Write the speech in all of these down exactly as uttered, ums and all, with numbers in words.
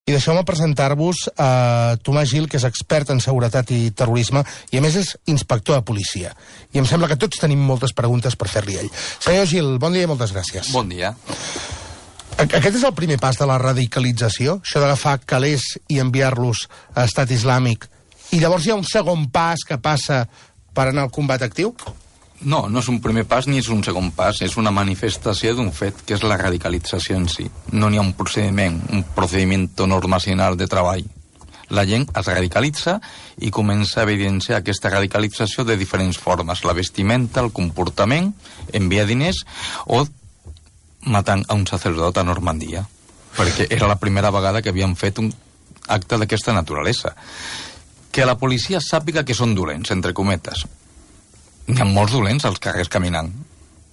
I deixeu-me presentar-vos a Tomàs Gil, que és expert en seguretat i terrorisme, i a més és inspector de policia. I em sembla que tots tenim moltes preguntes per fer-li a ell. Senyor Gil, bon dia i moltes gràcies. Bon dia. Aquest és el primer pas de la radicalització, això d'agafar calés i enviar-los a Estat Islàmic, i llavors hi ha un segon pas que passa per anar al combat actiu? No, no és un primer pas ni és un segon pas, és una manifestació d'un fet, que és la radicalització en si. No n'hi ha un procediment, un procediment normacional de treball. La gent es radicalitza i comença a evidenciar aquesta radicalització de diferents formes. La vestimenta, el comportament, enviar diners o matant a un sacerdot a Normandia. Perquè era la primera vegada que havien fet un acte d'aquesta naturalesa. Que la policia sàpiga que són dolents, entre cometes. N'hi ha molts dolents als carrers caminant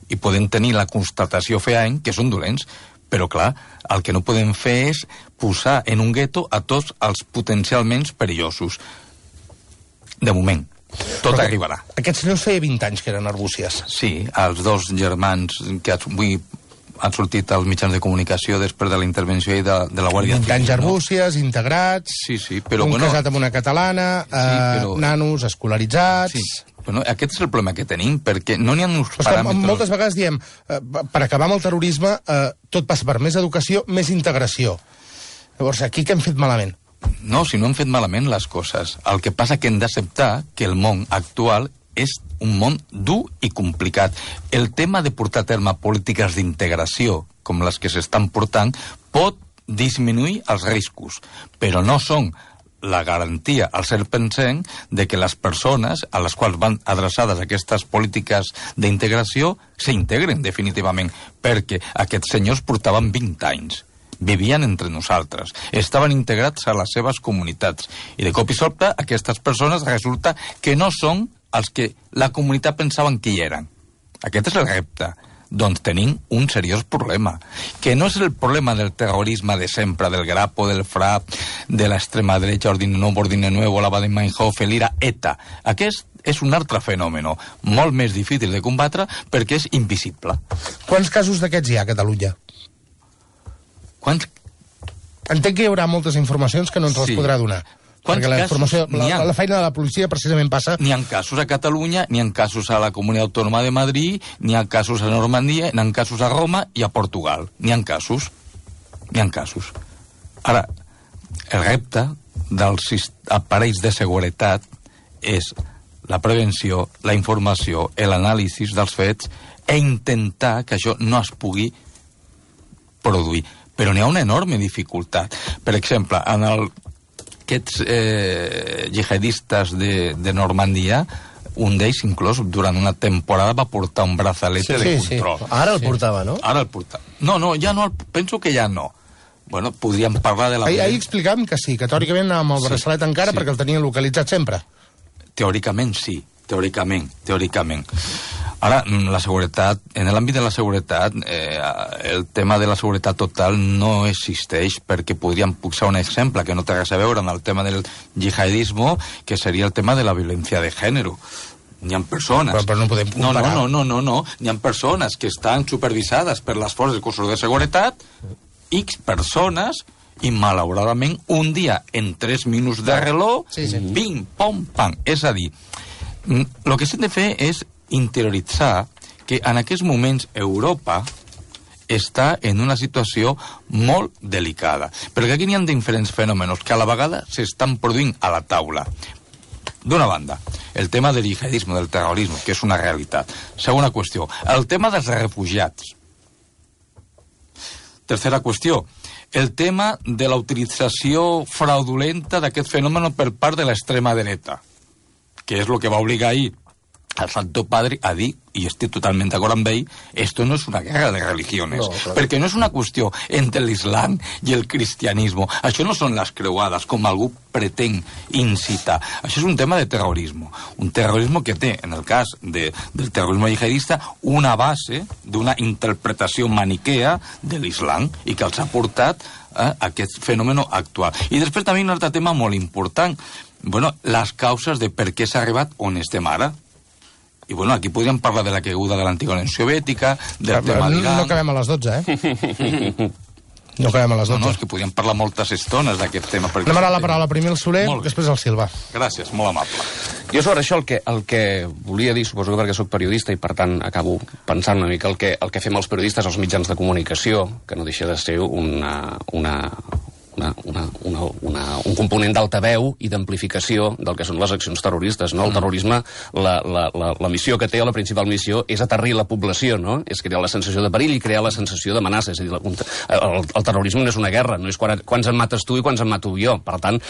i poden tenir la constatació fehaent que són dolents, però clar, el que no podem fer és posar en un gueto a tots els potencialment perillosos. De moment, tot però arribarà. Aquests senyors feia vint anys que eren arbúcies. Sí, els dos germans que avui han sortit als mitjans de comunicació després de la intervenció de, de la Guàrdia Civil. vint anys arbúcies, no? Integrats, sí, sí, però, un bueno, casat amb una catalana, sí, eh, però... nanos escolaritzats... Sí. Bueno, aquest és el problema que tenim, perquè no n'hi ha uns però paràmetres... Moltes vegades diem, eh, per acabar amb el terrorisme, eh, tot passa per més educació, més integració. Llavors, aquí què hem fet malament? No, si no hem fet malament les coses. El que passa que hem d'acceptar que el món actual és un món dur i complicat. El tema de portar a terme polítiques d'integració, com les que s'estan portant, pot disminuir els riscos, però no són la garantia al cent per cent de que les persones a les quals van adreçades aquestes polítiques d'integració s'integren definitivament, perquè aquests senyors portaven vint anys, vivien entre nosaltres, estaven integrats a les seves comunitats, i de cop i sobte aquestes persones resulta que no són els que la comunitat pensaven que hi eren. Aquest és el repte. Doncs tenim un seriós problema, que no és el problema del terrorisme de sempre, del Grapo, del F R A P, de l'extrema dreta, Ordine Nuevo, Ordine Nuevo, la Baden-Meinhof, l'Ira, ETA. Aquest és un altre fenomen, molt més difícil de combatre perquè és invisible. Quants casos d'aquests hi ha a Catalunya? Quants? Entenc que hi haurà moltes informacions que no ens les sí. podrà donar. Perquè la, informació, la, la feina de la policia precisament passa... N'hi ha casos a Catalunya, n'hi ha casos a la Comunitat Autònoma de Madrid, n'hi ha casos a Normandia, n'hi ha casos a Roma i a Portugal. N'hi ha casos. N'hi ha casos. Ara, el repte dels aparells de seguretat és la prevenció, la informació, l'anàlisi dels fets i intentar que això no es pugui produir. Però n'hi ha una enorme dificultat. Per exemple, en el... aquests eh, jihadistes de, de Normandia, un d'ells inclús durant una temporada va portar un brazalete sí, de sí, control. Sí. Ara el sí. portava, no? Ara el portava. No, no, ja no, penso que ja no. Bueno, podríem parlar de la... Ahir, ahir explicàvem que sí, que teòricament anàvem amb el braçalet sí, encara sí. perquè el tenien localitzat sempre. Teòricament sí, teòricament, teòricament. Ara, la seguretat, en l'àmbit de la seguretat, eh, el tema de la seguretat total no existeix, perquè podríem posar un exemple que no té res a veure amb el tema del jihadisme, que seria el tema de la violència de gènere. N'hi ha persones... Però, però no podem comparar. No, no, no, no, no. N'hi ha persones que estan supervisades per les forces de cossos de seguretat, X persones, i malauradament un dia en tres minuts de reloj, sí, sí. pim, pom, pam. És a dir, el que s'ha de fer és interioritzar que en aquests moments Europa està en una situació molt delicada, perquè aquí n'hi ha diferents fenòmenos que a la vegada s'estan produint a la taula. D'una banda, el tema del jihadisme, del terrorisme, que és una realitat. Segona qüestió, el tema dels refugiats. Tercera qüestió, el tema de la utilització fraudulenta d'aquest fenomen per part de l'extrema dreta, que és el que va obligar ahir al Santo Padre a dir, i estic totalment d'acord amb ell, esto no és una guerra de religiones, no, claro. perquè no és una qüestió entre l'islam i el cristianisme. Això no són les creuades, com algú pretén incitar. Això és un tema de terrorisme. Un terrorisme que té, en el cas de, del terrorisme jihadista, una base d'una interpretació maniquea de l'islam i que els ha portat a aquest fenomen actual. I després també un altre tema molt important, bueno, les causes de per què s'ha arribat on estem ara. I bueno, aquí podríem parlar de la caiguda de l'antiga Unió Soviètica, del Clar, tema no, d'Iran... no acabem a les dotze, eh? No acabem a les dotze. No, no, és que podíem parlar moltes estones d'aquest tema. Anem a la paraula primer el Soler, després el Silva. Gràcies, molt amable. Jo sobre això el que, el que volia dir, suposo que perquè sóc periodista i per tant acabo pensant una mica el que, el que fem els periodistes als mitjans de comunicació, que no deixa de ser una... una Una, una, una, una, un component d'altaveu i d'amplificació del que són les accions terroristes, no? El terrorisme, la, la, la, la missió que té, la principal missió, és aterrir la població, no? És crear la sensació de perill i crear la sensació d'amenaça. És a dir, la, el, el terrorisme no és una guerra, no és quan, quants en mates tu i quants en mato jo. Per tant,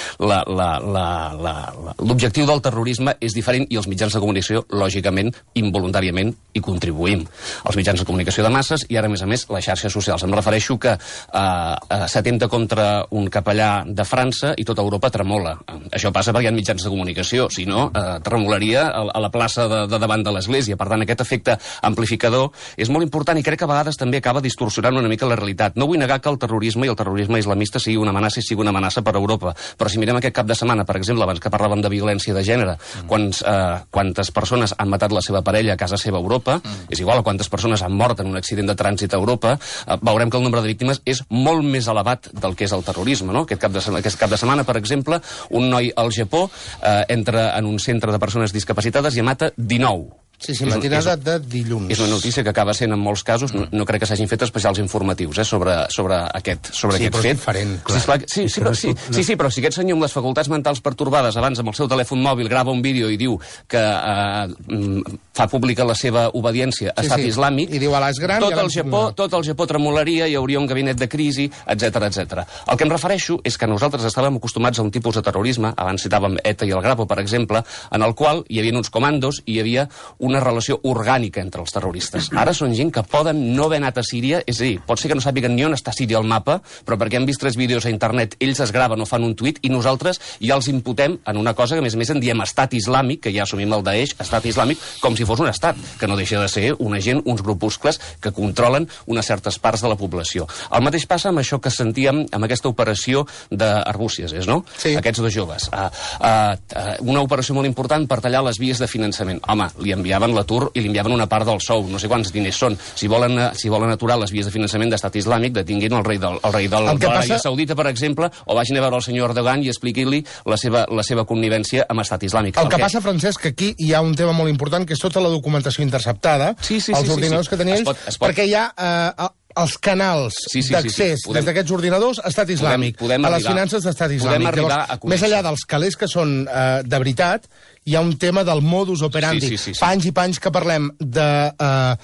l'objectiu del terrorisme és diferent i els mitjans de comunicació, lògicament, involuntàriament, hi contribuïm. Els mitjans de comunicació de masses i ara, a més a més, les xarxes socials. Em refereixo que eh, eh, s'atenta contra un capellà de França i tota Europa tremola. Això passa perquè hi ha mitjans de comunicació, si no, eh, tremolaria a, a la plaça de, de davant de l'Església. Per tant, aquest efecte amplificador és molt important i crec que a vegades també acaba distorsionant una mica la realitat. No vull negar que el terrorisme i el terrorisme islamista sigui una amenaça i sigui una amenaça per a Europa, però si mirem aquest cap de setmana, per exemple, abans que parlàvem de violència de gènere, mm. quants, eh, quantes persones han matat la seva parella a casa seva a Europa, mm. és igual a quantes persones han mort en un accident de trànsit a Europa, eh, veurem que el nombre de víctimes és molt més elevat del que és el terrorisme. No? Aquest, cap de setmana, aquest cap de setmana, per exemple, un noi al Japó eh, entra en un centre de persones discapacitades i en mata dinou. Sí, sí, matinada de dilluns. És una notícia que acaba sent en molts casos, no, no crec que s'hagin fet especials informatius eh, sobre, sobre aquest, sobre sí, aquest fet. Diferent, sí, clar. Sí, sí, però, sí, sí, sí, però si aquest senyor amb les facultats mentals pertorbades abans amb el seu telèfon mòbil grava un vídeo i diu que eh, fa pública la seva obediència a sí, estat sí. islàmic, I diu a l'Es gran, tot, el Japó, tot el Japó tremolaria, hi hauria un gabinet de crisi, etcètera, etcètera. El que em refereixo és que nosaltres estàvem acostumats a un tipus de terrorisme, abans citàvem ETA i el Grapo, per exemple, en el qual hi havia uns comandos i hi havia una relació orgànica entre els terroristes. Ara són gent que poden no haver anat a Síria, és a dir, pot ser que no sàpiguen ni on està Síria al mapa, però perquè han vist tres vídeos a internet, ells es graven o fan un tuit i nosaltres ja els imputem en una cosa que, a més a més, en diem estat islàmic, que ja assumim el Daesh, estat islàmic, com si fos un estat, que no deixa de ser una gent, uns grupuscles que controlen unes certes parts de la població. El mateix passa amb això que sentíem amb aquesta operació d'Arbúcies, és, no? Sí. Aquests dos joves. Uh, uh, uh, una operació molt important per tallar les vies de finançament. Home, li enviaven l'atur i li enviaven una part del sou, no sé quants diners són. Si volen, si volen aturar les vies de finançament d'estat islàmic, detinguin el rei del, el rei del, de l'Aràbia passa... Saudita, per exemple, o vagin a veure el senyor Erdogan i expliquin-li la seva, la seva connivència amb estat islàmic. El, el que, que passa, Francesc, que aquí hi ha un tema molt important, que és tota la documentació interceptada, sí, sí, els sí, ordinadors sí, sí. que tenien ells, pot, pot... perquè hi ha eh, els canals sí, sí, d'accés sí, sí. Podem... des d'aquests ordinadors a estat islàmic, podem, podem a les arribar, finances d'estat islàmic. Llavors, més enllà dels calés que són eh, de veritat, hi ha un tema del modus operandi. Sí, sí, sí, sí. Panys i panys que parlem de eh,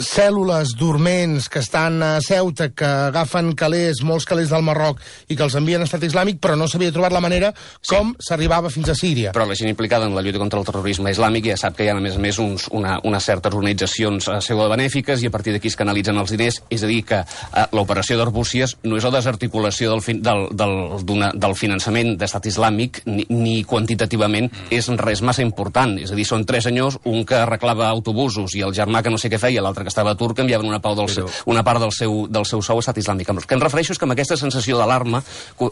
cèl·lules dorments que estan a Ceuta, que agafen calés, molts calés del Marroc, i que els envien a estat islàmic, però no s'havia trobat la manera com sí. s'arribava fins a Síria. Però la gent implicada en la lluita contra el terrorisme islàmic ja sap que hi ha, a més a més, uns, una, unes certes organitzacions pseudobenèfiques i a partir d'aquí es canalitzen els diners. És a dir, que eh, l'operació d'Arbúcies no és la desarticulació del, fin, del, del, del finançament d'estat islàmic, ni, ni quantitativament és res massa important. És a dir, són tres senyors, un que arreglava autobusos i el germà que no sé què feia, l'altre que estava a Turc, enviaven una, pau del seu, Però... una part del seu, del seu sou a estat islàmic. El que em refereixo és que amb aquesta sensació d'alarma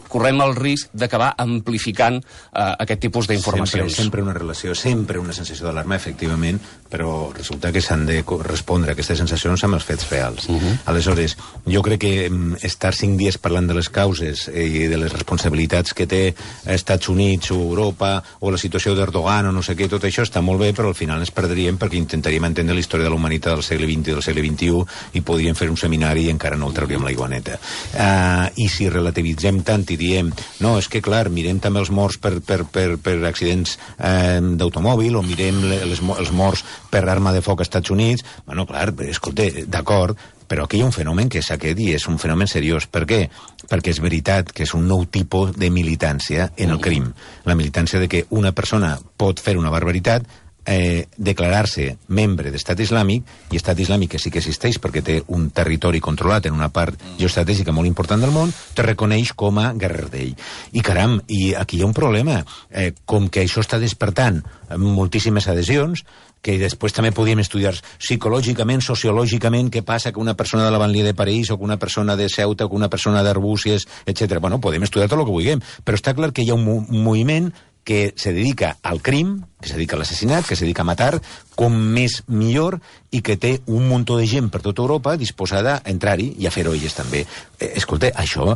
correm el risc d'acabar amplificant eh, aquest tipus d'informacions. Sempre, sempre una relació, sempre una sensació d'alarma, efectivament, però resulta que s'han de respondre a aquestes sensacions amb els fets reals. Uh -huh. Aleshores, jo crec que estar cinc dies parlant de les causes i de les responsabilitats que té Estats Units o Europa o la situació d'Erdogan o no sé què, tot això està molt bé, però al final ens perdríem perquè intentaríem entendre la història de la humanitat del segle vint i del segle vint-i-u i podríem fer un seminari i encara no el trauríem l'aigua neta. Uh, I si relativitzem tant i diem, no, és que clar, mirem també els morts per, per, per, per accidents eh, d'automòbil o mirem les, els morts per arma de foc als Estats Units, bueno, clar, escolta, d'acord, però aquí hi ha un fenomen que és aquest i és un fenomen seriós. Per què? Perquè és veritat que és un nou tipus de militància en el crim. La militància de que una persona pot fer una barbaritat, eh, declarar-se membre d'estat islàmic, i estat islàmic que sí que existeix perquè té un territori controlat en una part geoestratègica molt important del món, te reconeix com a guerrer d'ell. I caram, i aquí hi ha un problema. Eh, com que això està despertant moltíssimes adhesions, que després també podíem estudiar psicològicament, sociològicament, què passa que una persona de la Banlieue de París o que una persona de Ceuta o que una persona d'Arbúcies, etcètera. Bueno, podem estudiar tot el que vulguem, però està clar que hi ha un, mo un moviment que se dedica al crim, que se dedica a l'assassinat, que se dedica a matar, com més millor, i que té un muntó de gent per tota Europa disposada a entrar-hi i a fer-ho elles també. Eh, escolta, això,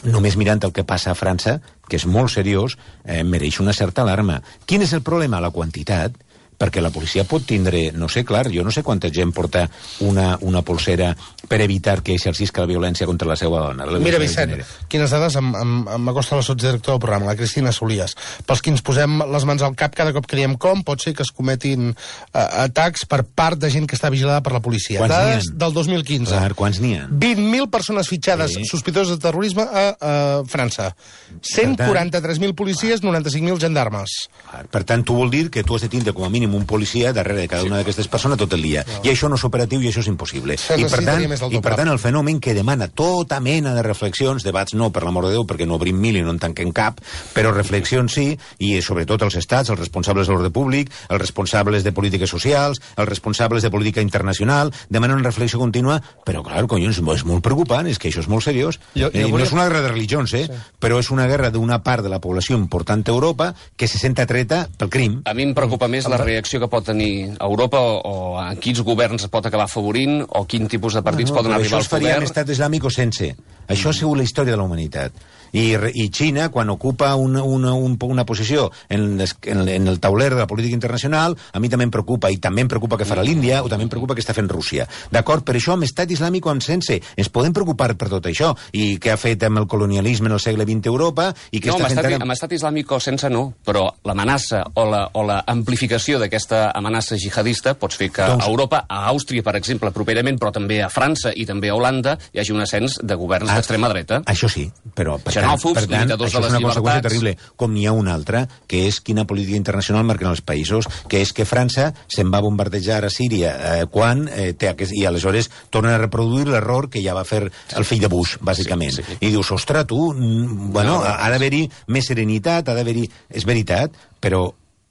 només mirant el que passa a França, que és molt seriós, eh, mereix una certa alarma. Quin és el problema? La quantitat. Perquè la policia pot tindre, no sé, clar, jo no sé quanta gent porta una, una polsera per evitar que exercisca la violència contra la seva dona. La Mira, Vicent, quines dades m'acosta la sotsdirectora del programa, la Cristina Solies. Pels que ens posem les mans al cap cada cop que diem com, pot ser que es cometin uh, atacs per part de gent que està vigilada per la policia. Quants dades del dos mil quinze. Clar, quants n'hi ha? vint mil persones fitxades sí. sospitoses de terrorisme a, a França. cent quaranta-tres mil policies, noranta-cinc mil gendarmes. Per tant, tu vol dir que tu has de tindre com a mínim un policia darrere de cada una d'aquestes persones tot el dia. No. I això no és operatiu i això és impossible. I per, tant, I per tant, el fenomen que demana tota mena de reflexions, debats no, per l'amor de Déu, perquè no obrim mil i no en tanquem cap, però reflexions sí, i sobretot els estats, els responsables de l'ordre públic, els responsables de polítiques socials, els responsables de política internacional, demanen una reflexió contínua, però, clar, collons, és molt preocupant, és que això és molt seriós. Jo, jo eh, volia... No és una guerra de religions, eh? Sí. Però és una guerra d'una part de la població important d'Europa que se sent atreta pel crim. A mi em preocupa més la reacció que pot tenir Europa o, o a quins governs pot acabar afavorint o quin tipus de partits no, no, poden arribar al poder. Això es faria amb estat islàmic o sense. Això ha sigut la història de la humanitat. I, i Xina, quan ocupa una, una, un, una posició en, les, en, en el tauler de la política internacional, a mi també em preocupa, i també em preocupa què farà l'Índia, o també em preocupa què està fent Rússia. D'acord? Per això, amb estat islàmic o amb sense, ens podem preocupar per tot això, i què ha fet amb el colonialisme en el segle vint a Europa, i què no, està fent... fent... No, amb estat islàmic o sense no, però l'amenaça o la, o la amplificació d'aquesta amenaça jihadista pots fer que doncs... a Europa, a Àustria, per exemple, properament, però també a França i també a Holanda, hi hagi un ascens de governs ah, d'extrema dreta. Això sí, però... Xenòfobs, per tant, limitadors això de les és una llibertats... conseqüència terrible, com n'hi ha una altra, que és quina política internacional marquen els països, que és que França se'n va bombardejar a Síria eh, quan eh, té aquest, i aleshores tornen a reproduir l'error que ja va fer el fill de Bush, bàsicament. Sí, sí. I dius, ostres, tu, bueno, no, no, ha d'haver-hi més serenitat, ha d'haver-hi... És veritat, però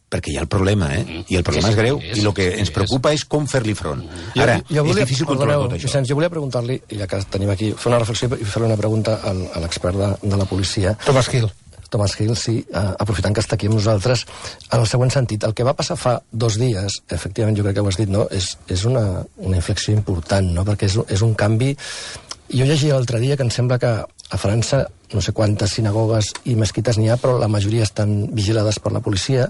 perquè hi ha el problema, eh? I el problema és, és greu, és, i el que ens preocupa és com fer-li front. Ara, jo, jo volia, és difícil controlar tot això. Vicenç, jo volia preguntar-li, ja que tenim aquí, fer una reflexió i fer una pregunta al, a l'expert de, de la policia. Thomas Hill. Thomas Hill, sí, uh, aprofitant que està aquí amb nosaltres, en el següent sentit. El que va passar fa dos dies, efectivament, jo crec que ho has dit, no? És, és una, una inflexió important, no? Perquè és, és un canvi... Jo llegia l'altre dia que em sembla que a França no sé quantes sinagogues i mesquites n'hi ha, però la majoria estan vigilades per la policia,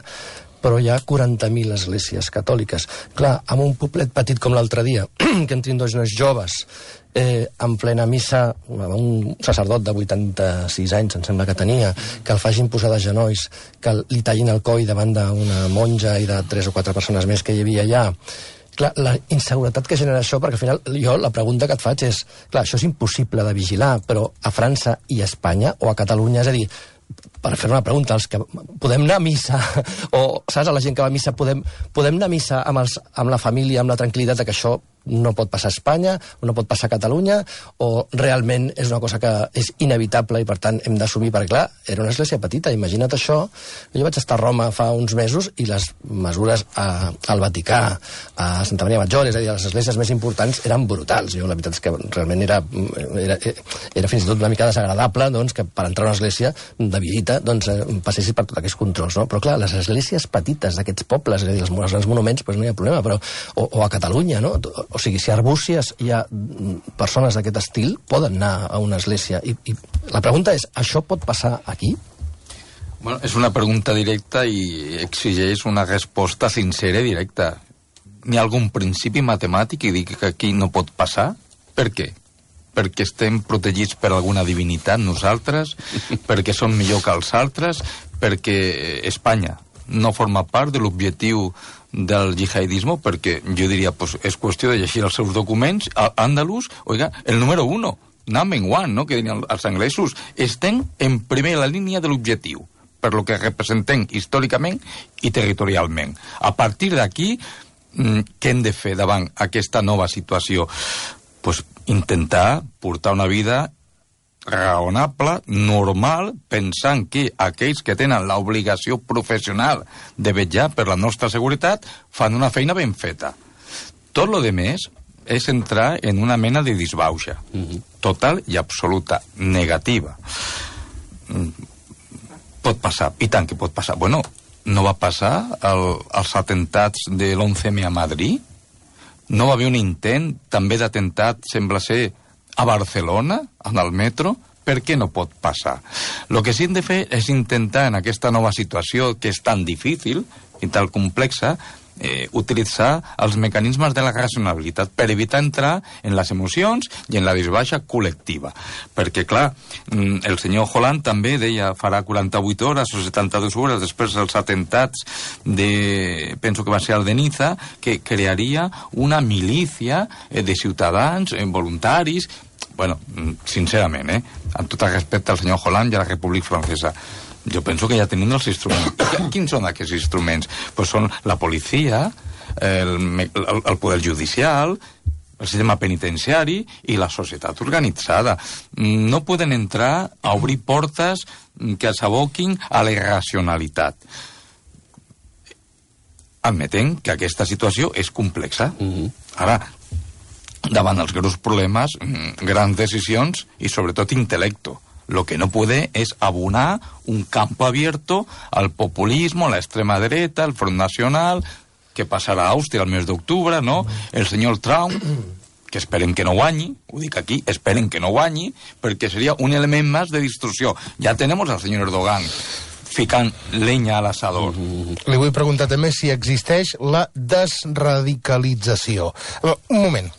però hi ha quaranta mil esglésies catòliques. Clar, amb un poblet petit com l'altre dia, que entrin dos nois joves, eh, en plena missa, un sacerdot de vuitanta-sis anys, em sembla que tenia, que el facin posar de genolls, que li tallin el coll davant d'una monja i de tres o quatre persones més que hi havia allà. Clar, la inseguretat que genera això, perquè al final jo la pregunta que et faig és, clar, això és impossible de vigilar, però a França i a Espanya o a Catalunya, és a dir, per fer una pregunta, els que podem anar a missa, o saps, a la gent que va a missa, podem, podem anar a missa amb, els, amb la família, amb la tranquil·litat que això no pot passar a Espanya, o no pot passar a Catalunya, o realment és una cosa que és inevitable i per tant hem d'assumir, perquè clar, era una església petita, imagina't això. Jo vaig estar a Roma fa uns mesos i les mesures a, al Vaticà, a Santa Maria Maggiore, és a dir, les esglésies més importants eren brutals. Jo la veritat és que realment era, era, era fins i tot una mica desagradable doncs, que per entrar a una església de visita doncs, passessis per tots aquests controls, no? Però clar, les esglésies petites d'aquests pobles, és a dir, els grans monuments, doncs no hi ha problema, però, o, o a Catalunya, no? O sigui, si a Arbúcies hi ha persones d'aquest estil, poden anar a una església. I, i la pregunta és, això pot passar aquí? Bueno, és una pregunta directa i exigeix una resposta sincera i directa. N'hi ha algun principi matemàtic que digui que aquí no pot passar? Per què? Perquè estem protegits per alguna divinitat nosaltres, perquè som millor que els altres, perquè Espanya no forma part de l'objectiu del jihadisme, perquè jo diria, pues, és qüestió de llegir els seus documents, àndalus, oiga, el número uno, number one, no?, que dirien els anglesos, estem en primera línia de l'objectiu, per lo que representem històricament i territorialment. A partir d'aquí, què hem de fer davant aquesta nova situació? Pues intentar portar una vida raonable, normal, pensant que aquells que tenen l'obligació professional de vetllar per la nostra seguretat fan una feina ben feta. Tot lo de més és entrar en una mena de disbauxa, total i absoluta, negativa. pot passar, i tant que pot passar. Bueno, no va passar el, els atentats de l'onze eme a Madrid? No va haver un intent també d'atemptat, sembla ser, a Barcelona, en el metro? Per què no pot passar? El que sí hem de fer és intentar, en aquesta nova situació que és tan difícil i tan complexa, eh, utilitzar els mecanismes de la racionalitat per evitar entrar en les emocions i en la disbaixa col·lectiva. Perquè, clar, el senyor Hollande també deia farà quaranta-vuit hores o setanta-dues hores després dels atentats de, penso que va ser el de Niza, que crearia una milícia eh, de ciutadans, eh, voluntaris. Bueno, sincerament, eh, amb tot el respecte al senyor Hollande i a la República Francesa, jo penso que ja tenim els instruments. Quins són aquests instruments? Pues són la policia, el, el, el poder judicial, el sistema penitenciari i la societat organitzada. No poden entrar a obrir portes que s'aboquin a la irracionalitat. Admetent que aquesta situació és complexa. Mm-hmm. Ara, davant els greus problemes, grans decisions i sobretot intel·lecto. Lo que no puede es abonar un campo abierto al populismo, a la extrema derecha, al Front Nacional, que passarà a Àustria el mes d'octubre, no? El senyor Trump, que esperem que no guanyi, ho dic aquí, esperem que no guanyi, perquè seria un element més de distorsió. Ja tenemos al senyor Erdogan ficant llenya a l'assador. Li vull preguntar també si existeix la desradicalització. Un moment.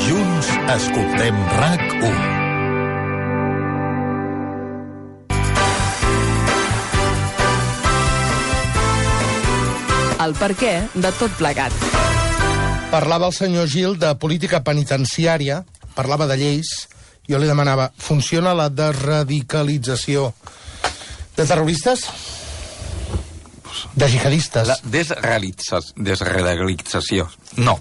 Junts escoltem RAC u. El perquè de tot plegat. Parlava el senyor Gil de política penitenciària, parlava de lleis, jo li demanava, funciona la desradicalització de terroristes? De jihadistes? La desrealitza- desradicalització, no.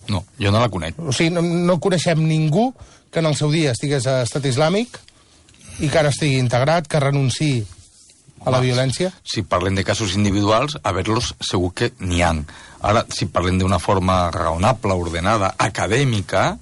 No, jo no la conec. O sigui, no, no coneixem ningú que en el seu dia estigués a Estat Islàmic i que ara estigui integrat, que renunciï a la violència? Si parlem de casos individuals, a veure-los segur que n'hi ha. Ara, si parlem d'una forma raonable, ordenada, acadèmica,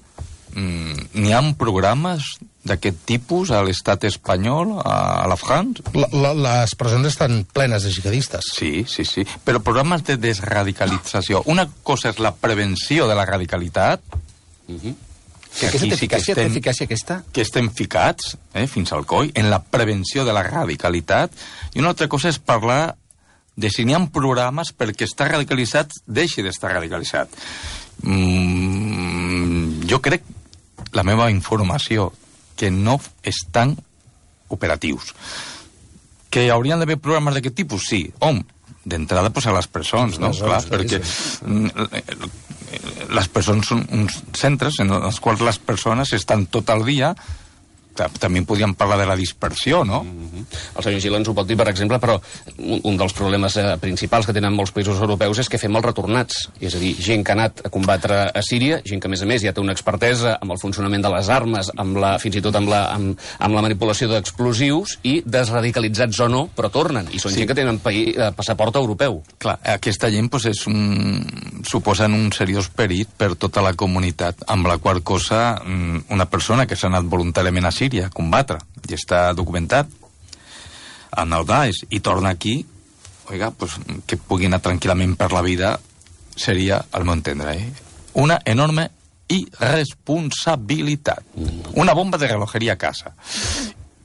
mmm, n'hi ha programes d'aquest tipus a l'estat espanyol, a la France? La, la, les presons estan plenes de jihadistes. Sí, sí, sí. Però programes de desradicalització. Una cosa és la prevenció de la radicalitat, Mm-hmm. que Aquesta aquí té sí que eficàcia, té estem, eficàcia aquesta? que estem ficats, eh, fins al coll, en la prevenció de la radicalitat, i una altra cosa és parlar de si n'hi ha programes perquè estar radicalitzat deixi d'estar radicalitzat. Mm, jo crec, la meva informació, que no estan operatius. Que haurien d'haver programes d'aquest tipus? Sí. Hom, d'entrada, pues, a les presons, no? Clar, perquè les presons són uns centres en els quals les persones estan tot el dia. També podríem parlar de la dispersió, no? Mm-hmm. El senyor Gil ens ho pot dir, per exemple, però un, un dels problemes eh, principals que tenen molts països europeus és que fem els retornats. És a dir, gent que ha anat a combatre a Síria, gent que, a més a més, ja té una expertesa amb el funcionament de les armes, amb la, fins i tot amb la, amb, amb la manipulació d'explosius, i desradicalitzats o no, però tornen. I són sí. gent que tenen paí, eh, passaport europeu. Clar, aquesta gent pues, és un, suposen un seriós perill per tota la comunitat, amb la qual cosa una persona que s'ha anat voluntàriament a Síria a combatre, i està documentat en el Daesh, i torna aquí, oiga, pues, que pugui anar tranquil·lament per la vida, seria, al meu entendre, eh, una enorme irresponsabilitat. Una bomba de relojeria a casa.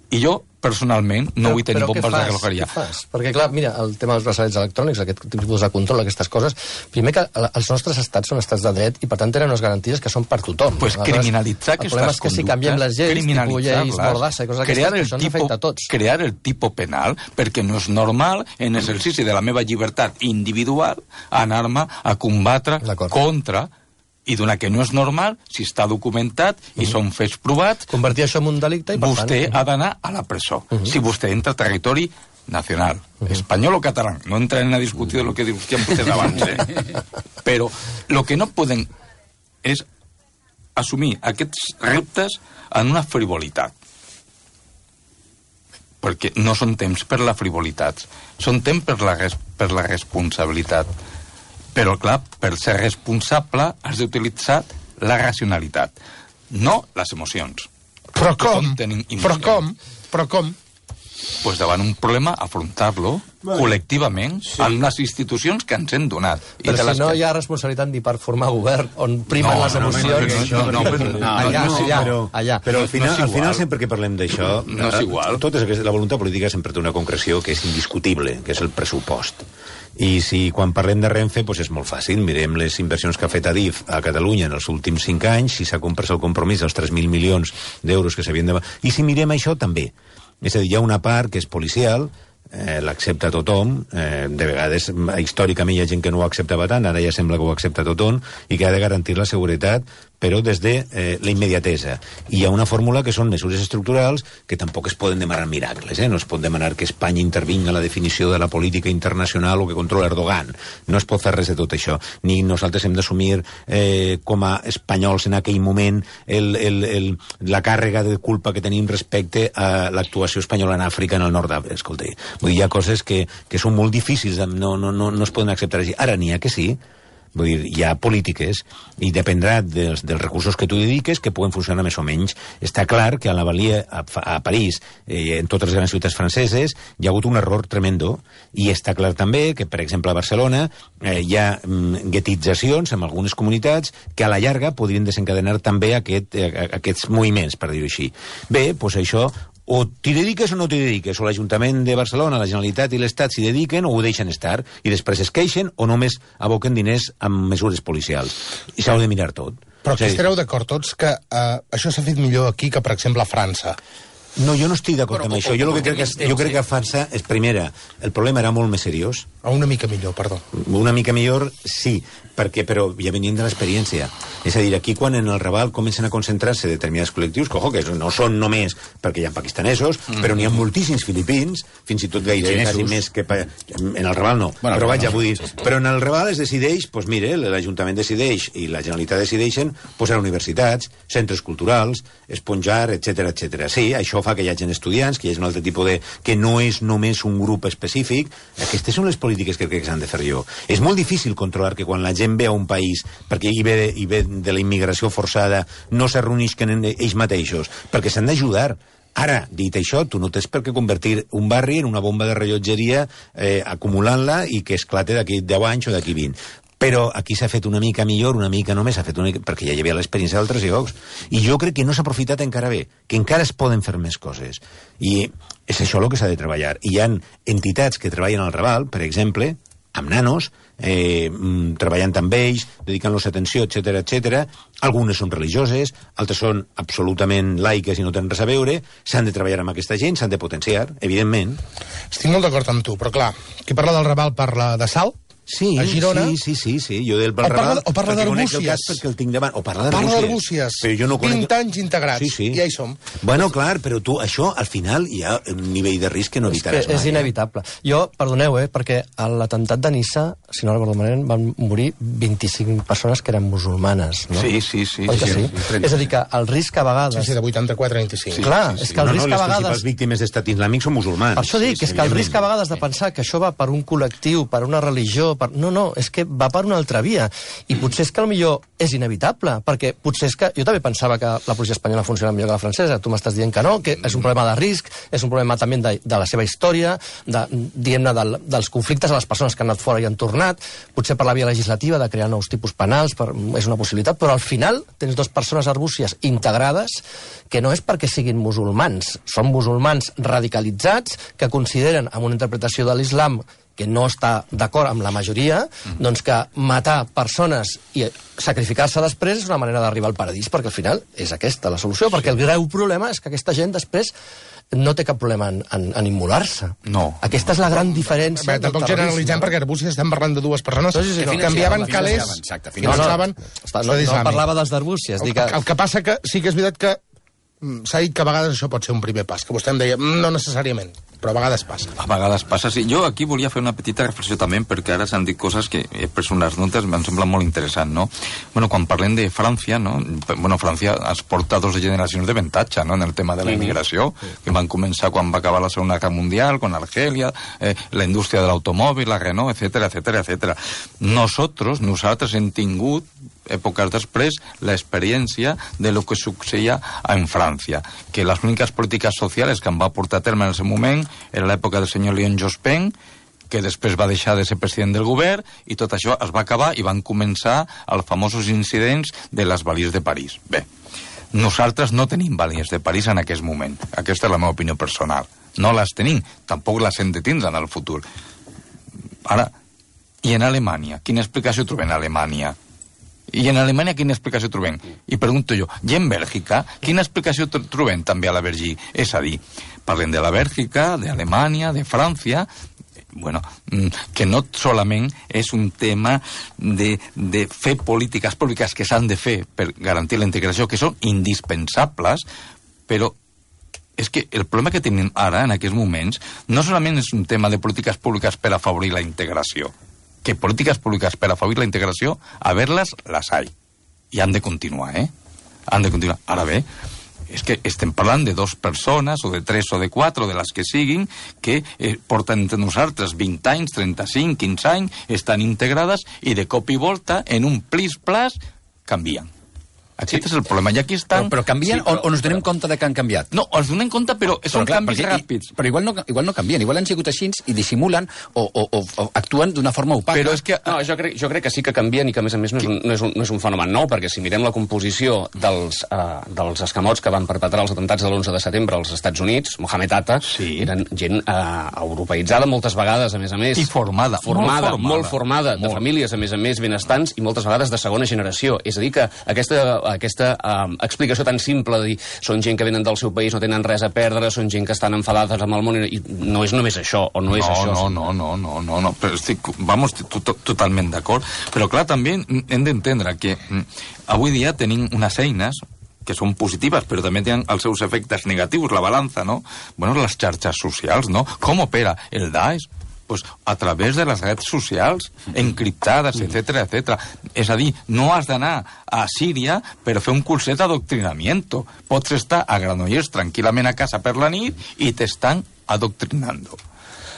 I jo, personalment, no però, vull tenir bombes fas, de relojeria. Què fas? Perquè, clar, mira, el tema dels braçalets electrònics, aquest tipus de control, aquestes coses, primer que els nostres estats són estats de dret i, per tant, tenen unes garanties que són per tothom. Pues criminalitzar aquestes conductes... El problema és que si canviem les lleis, tipus lleis Mordassa i coses d'aquestes, que això ens afecta a tots. Crear el tipus penal, perquè no és normal, en exercici de la meva llibertat individual, anar-me a combatre contra... i d'una que no és normal, si està documentat i mm. són fets provats... Convertir això en un delicte i, per vostè tant... ha d'anar a la presó. Mm -hmm. Si vostè entra a territori nacional, mm -hmm. espanyol o català. No entrarem a discutir de lo que discutíem vostès abans, eh? Però lo que no poden és assumir aquests reptes en una frivolitat. Perquè no són temps per la frivolitat, són temps per la, res per la responsabilitat. Però, clar, per ser responsable has d'utilitzar la racionalitat, no les emocions. Però com? Però com? Però com? Pues davant un problema, afrontar-lo bueno, col·lectivament sí. amb les institucions que ens hem donat. Però I si no que... hi ha responsabilitat ni per formar govern on primen no, les no, emocions... No, no, no, no, no, no, allà, no, allà, però, allà. Però al final, no al final sempre que parlem d'això... No és igual. Tot és, la voluntat política sempre té una concreció que és indiscutible, que és el pressupost. I si quan parlem de Renfe doncs és molt fàcil, mirem les inversions que ha fet Adif a Catalunya en els últims cinc anys, si s'ha comprès el compromís dels tres mil milions d'euros que s'havien de... I si mirem això també, és a dir, hi ha una part que és policial, eh, l'accepta tothom, eh, de vegades històricament hi ha gent que no ho acceptava tant, ara ja sembla que ho accepta tothom, i que ha de garantir la seguretat, però des de eh, la immediatesa. I hi ha una fórmula que són mesures estructurals que tampoc es poden demanar miracles, eh? No es pot demanar que Espanya intervingui en la definició de la política internacional o que controla Erdogan. No es pot fer res de tot això. Ni nosaltres hem d'assumir eh, com a espanyols en aquell moment el, el, el, la càrrega de culpa que tenim respecte a l'actuació espanyola en Àfrica, en el nord d'Àfrica. Escolta, vull dir, hi ha coses que, que són molt difícils, no, no, no, no es poden acceptar així. Ara n'hi ha que sí. Vull dir, hi ha polítiques i dependrà dels, dels recursos que tu dediques que puguen funcionar més o menys. Està clar que a la Valia, a, a París, eh, en totes les grans ciutats franceses, hi ha hagut un error tremendo, i està clar també que, per exemple, a Barcelona eh, hi ha mm, guetitzacions en algunes comunitats que a la llarga podrien desencadenar també aquest, eh, aquests moviments, per dir-ho així. Bé, doncs això... o t'hi dediques o no t'hi dediques, o l'Ajuntament de Barcelona, la Generalitat i l'Estat s'hi dediquen o ho deixen estar, i després es queixen o només aboquen diners amb mesures policials. I s'ha de mirar tot. Però que estareu d'acord tots que eh, això s'ha fet millor aquí que, per exemple, a França? No, jo no estic d'acord amb això. Jo, que crec que, jo crec que a França, és primera, el problema era molt més seriós. O una mica millor, perdó. Una mica millor, sí, perquè, però ja venint de l'experiència. És a dir, aquí quan en el Raval comencen a concentrar-se determinats col·lectius, que, ojo, que no són només perquè hi ha pakistanesos, mm. però n'hi ha moltíssims filipins, fins i tot gairebé quasi més que... Pa... En el Raval no, bueno, però vaja, vull dir... Però en el Raval es decideix, doncs mire, l'Ajuntament decideix i la Generalitat decideixen posar universitats, centres culturals, esponjar, etcètera, etcètera. Sí, això fa que hi hagi estudiants, que hi hagi un altre tipus de... que no és només un grup específic. Aquestes són les polítiques que crec que s'han de fer jo. És molt difícil controlar que quan la gent ve a un país, perquè hi ve, hi ve de la immigració forçada, no s'arrunisquen ells mateixos, perquè s'han d'ajudar. Ara, dit això, tu no tens per què convertir un barri en una bomba de rellotgeria eh, acumulant-la i que esclate d'aquí deu anys o d'aquí vint. Però aquí s'ha fet una mica millor, una mica només, s'ha fet una mica, perquè ja hi havia l'experiència d'altres llocs. I jo crec que no s'ha aprofitat encara bé, que encara es poden fer més coses. I és això el que s'ha de treballar. I hi ha entitats que treballen al Raval, per exemple, amb nanos, eh, treballant amb ells, dedicant-los atenció, etcètera, etcètera. Algunes són religioses, altres són absolutament laiques i no tenen res a veure. S'han de treballar amb aquesta gent, s'han de potenciar, evidentment. Estic molt d'acord amb tu, però clar, qui parla del Raval parla de Salt, sí, a Girona. Sí, sí, sí, sí. Jo del o parla, o parla d'Arbúcies. Perquè el tinc davant. O parla d'Arbúcies. No conec... vint anys integrats, sí, sí. I ja hi som. Bueno, clar, però tu, això, al final, hi ha un nivell de risc que no evitaràs és, que és mai. inevitable. Jo, perdoneu, eh, perquè a l'atemptat de Niça, si no recordo malament, van morir vint-i-cinc persones que eren musulmanes, no? Sí, sí, sí. Oi que sí? sí. És a dir, que el risc a vegades... Sí, sí, de vuitanta-quatre a vint-i-cinc. Sí, clar, sí, sí. És que el no, risc no, a vegades... Les principals víctimes d'estat islàmic són musulmans. Per això dic, sí, és que el risc a vegades de pensar que això va per un col·lectiu, per una religió... Per... No, no, és que va per una altra via. I potser és que potser és inevitable, perquè potser és que... Jo també pensava que la policia espanyola funciona millor que la francesa, tu m'estàs dient que no, que és un problema de risc, és un problema també de, de la seva història, de, diguem-ne, de, dels conflictes a les persones que han anat fora i han tornat, potser per la via legislativa de crear nous tipus penals, per, és una possibilitat, però al final tens dues persones arbúcies integrades que no és perquè siguin musulmans, són musulmans radicalitzats que consideren, amb una interpretació de l'islam que no està d'acord amb la majoria, mm. doncs que matar persones i sacrificar-se després és una manera d'arribar al paradís, perquè al final és aquesta la solució, perquè el greu problema és que aquesta gent després no té cap problema en, en, en immolar-se. No. Aquesta és la gran diferència. Bé, tampoc generalitzem, perquè Arbúcies estem parlant de dues persones sí, sí, sí, que no, canviaven sí, calés, exacte, que no, no, saben... No, no, no parlava dels d'Arbúcies. El, que... el que passa que sí que és veritat que s'ha dit que a vegades això pot ser un primer pas, que vostè em deia, no necessàriament. però a vegades passa. A vegades passa, sí. Jo aquí volia fer una petita reflexió també, perquè ara s'han dit coses que he pres unes notes, em sembla molt interessant, no? Bueno, quan parlem de França, no? Bueno, França es porta dos generacions d'avantatge, no?, en el tema de la immigració, que van començar quan va acabar la Segona Guerra Mundial, con Argelia, eh, la indústria de l'automòbil, la Renault, etcétera, etcétera, etcétera. Nosotros, nosaltres hem tingut èpoques després, l'experiència de lo que succeïa en França, que les úniques polítiques socials que em va portar a terme en el seu moment era l'època del senyor Léon Jospin, que després va deixar de ser president del govern, i tot això es va acabar i van començar els famosos incidents de les balies de París. Bé, nosaltres no tenim balies de París en aquest moment. Aquesta és la meva opinió personal. No les tenim, tampoc les hem de tindre en el futur. Ara, i en Alemanya? Quina explicació trobem en Alemanya? I en Alemanya quina explicació trobem? I pregunto jo, i en Bèlgica, quina explicació trobem també a la Bèlgica? És a dir, parlem de la Bèlgica, d'Alemanya, de França, bueno, que no solament és un tema de, de fer polítiques públiques que s'han de fer per garantir la integració, que són indispensables, però és que el problema que tenim ara, en aquests moments, no solament és un tema de polítiques públiques per afavorir la integració, que polítiques públiques per afavorir la integració, a ver-les, les hay. I han de continuar, eh? Han de continuar. Ara bé, és que estem parlant de dues persones, o de tres o de quatre, o de les que siguin, que eh, porten entre nosaltres vint anys, trenta-cinc, quinze anys, estan integrades i de cop i volta, en un plis-plas, canvien. Aquest sí. És el problema. I aquí estan... Però, però canvien sí, però, o, o ens donem compte de que han canviat? No, ens donem compte, però són però, clar, canvis perquè, ràpids. I, però igual no, igual no canvien, igual han sigut així i dissimulen o, o, o, o actuen d'una forma opaca. Però és que... No, jo crec, jo crec que sí que canvien i que, a més a més, no és un, no és un, no és un fenomen nou, perquè si mirem la composició dels, uh, dels escamots que van perpetrar els atemptats de l'onze de setembre als Estats Units, Mohamed Atta, sí. eren gent uh, europeïtzada moltes vegades, a més a més. I formada. Formada, molt formada, molt formada molt. De famílies, a més a més, benestants i moltes vegades de segona generació. És a dir, que aquesta... aquesta uh, explicació tan simple de dir són gent que venen del seu país, no tenen res a perdre, són gent que estan enfadades amb el món, i no és només això, o no és no, això. No, no, no, no, no, no, però estic, vamos, to, to, totalment d'acord, però clar, també hem d'entendre que avui dia tenim unes eines que són positives, però també tenen els seus efectes negatius, la balança, no? Bueno, les xarxes socials, no? Com opera el Daesh? Pues a través de les redes socials, encriptades, etcétera, etcétera. És a dir, no has d'anar a Síria per fer un curset d'adoctrinamiento. Pots estar a Granollers tranquil·lament a casa per la nit i t'estan adoctrinando.